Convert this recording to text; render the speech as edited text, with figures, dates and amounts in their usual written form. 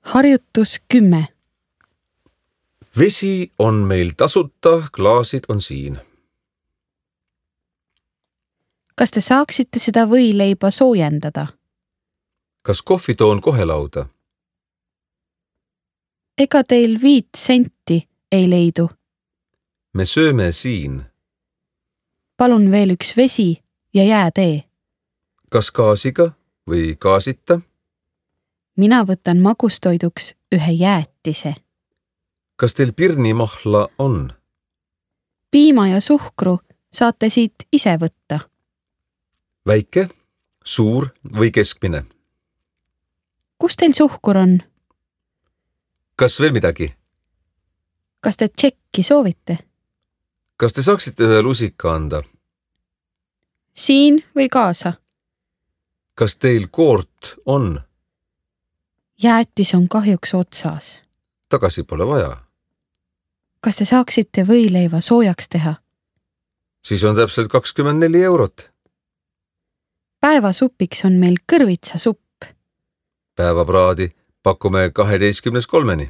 Harjutus 10. Vesi on meil tasuta, klaasid on siin. Kas te saaksite seda võileiba soojendada? Kas kohvi toon kohe lauda? Ega teil 5 senti ei leidu? Me sööme siin. Palun veel üks vesi ja jäätee. Kas gaasiga või gaasita? Mina võtan magustoiduks ühe jäätise. Kas teil pirnimahla on? Piima ja suhkru saate siit ise võtta. Väike, suur või keskmine? Kus teil suhkur on? Kas veel midagi? Kas te tšekki soovite? Kas te saaksite ühe lusika anda? Siin või kaasa? Kas teil koort on? Jäätis on kahjuks otsas. Tagasi pole vaja. Kas te saaksite võileiva soojaks teha? Siis on täpselt 24 eurot. Päevasupiks on meil kõrvitsasupp. Päevapraadi pakume 12.3.